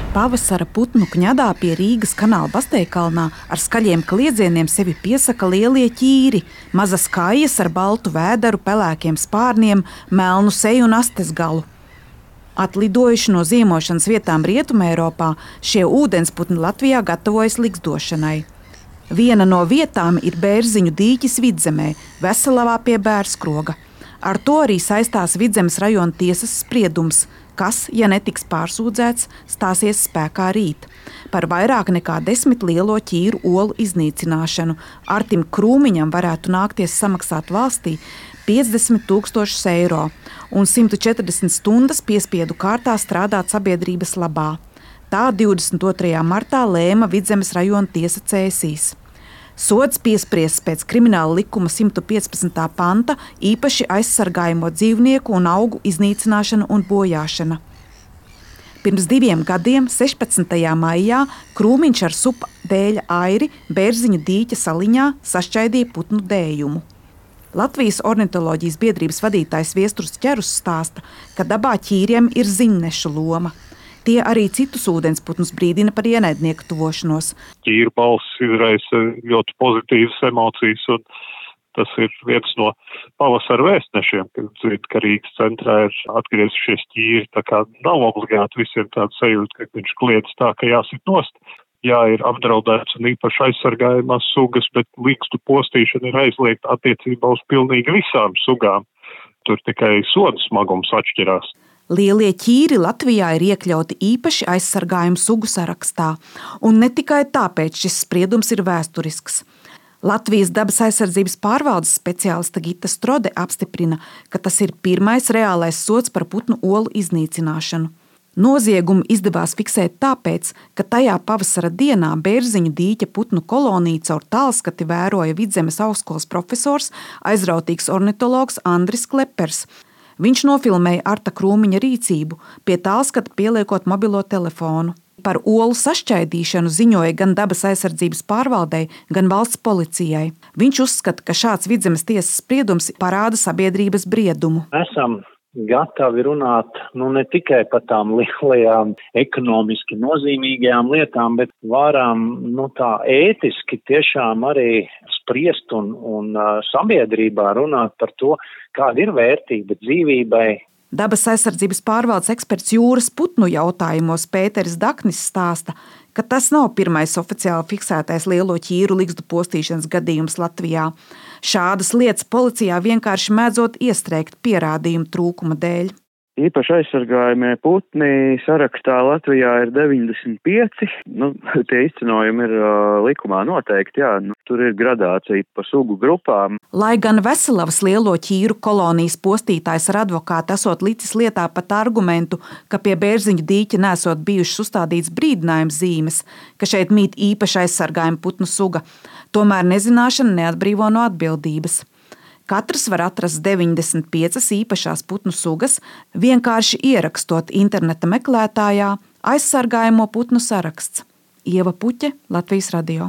Pavasara putnu kņadā pie Rīgas kanāla Basteikalnā ar skaļiem kliedzieniem sevi piesaka lielie ķīri, mazas kājas ar baltu vēderu, pelēkiem spārniem, melnu seju un astes galu. Atlidojuši no ziemošanas vietām Rietumeiropā, šie ūdensputni Latvijā gatavojas ligzdošanai. Viena no vietām ir Bērziņu dīķis Vidzemē, Veselavā pie Bērskroga. Ar to arī saistās Vidzemes rajona tiesas spriedums, kas, ja netiks pārsūdzēts, stāsies spēkā rīt. Par vairāk nekā 10 lielo ķīru olu iznīcināšanu Artim Krūmiņam varētu nākties samaksāt valstī 50 000 eiro un 140 stundas piespiedu kārtā strādāt sabiedrības labā. Tā 22. martā lēma Vidzemes rajona tiesa Cēsīs. Sods piespriests pēc krimināla likuma 115. panta īpaši aizsargājamo dzīvnieku un augu iznīcināšana un bojāšana. Pirms 2 gadiem, 16. maijā, Krūmiņš ar supa dēļa airi Bērziņu dīķa saliņā sašķaidīja putnu dējumu. Latvijas ornitoloģijas biedrības vadītājs Viesturs Ķerus stāsta, ka dabā ķīriem ir ziņnešu loma. Tie arī citus ūdensputnus brīdina par ienaidnieku tuvošanos. Ķīru balss izraisa ļoti pozitīvas emocijas, un tas ir viens no pavasara vēstnešiem, kad dzird, ka Rīgas centrā ir atgriezušies ķīri. Tā kā nav obligāti visiem tāda sajūta, ka viņš kliedz tā, ka jāsit nost. Jā, ir apdraudēts un īpaši aizsargājumās sugas, bet ligzdu postīšana ir aizliegta attiecībā uz pilnīgi visām sugām. Tur tikai soda smagums atšķirās. Lielie ķīri Latvijā ir iekļauti īpaši aizsargājumu sugu sarakstā, un ne tikai tāpēc šis spriedums ir vēsturisks. Latvijas dabas aizsardzības pārvaldes speciāliste Gita Strode apstiprina, ka tas ir pirmais reālais sods par putnu olu iznīcināšanu. Noziegumu izdevās fiksēt tāpēc, ka tajā pavasara dienā Bērziņu dīķa putnu koloniju caur tālskati vēroja Vidzemes augstskolas profesors, aizrautīgs ornitologs Andris Klepers. Viņš nofilmēja Arta Krūmiņa rīcību, pie tālskata pieliekot mobilo telefonu. Par olu sašķaidīšanu ziņoja gan dabas aizsardzības pārvaldei, gan valsts policijai. Viņš uzskata, ka šāds Vidzemes tiesas spriedums parāda sabiedrības briedumu. Esam gatavi runāt ne tikai par tām lielajām ekonomiski nozīmīgajām lietām, bet varam tā ētiski tiešām arī spriest un sabiedrībā runāt par to, kāda ir vērtība dzīvībai. Dabas aizsardzības pārvaldes eksperts jūras putnu jautājumos Pēteris Daknis stāsta, ka tas nav pirmais oficiāli fiksētais lielo ķīru ligzdu postīšanas gadījums Latvijā. Šādas lietas policijā vienkārši mēdzot iestrēgt pierādījumu trūkuma dēļ. Īpaši aizsargājumie putni sarakstā Latvijā ir 95. Tie izcinojumi ir likumā noteikti, jā. Tur ir gradācija pa sugu grupām. Lai gan Veselavas lielo ķīru kolonijas postītājs ar advokātu esot licis lietā pat argumentu, ka pie Bērziņu dīķa nesot bijušas uzstādīts brīdinājums zīmes, ka šeit mīt īpaši aizsargājuma putnu suga, tomēr nezināšana neatbrīvo no atbildības. Katrs var atrast 95 īpašās putnu sugas, vienkārši ierakstot interneta meklētājā aizsargājamo putnu saraksts. Ieva Puķe, Latvijas radio.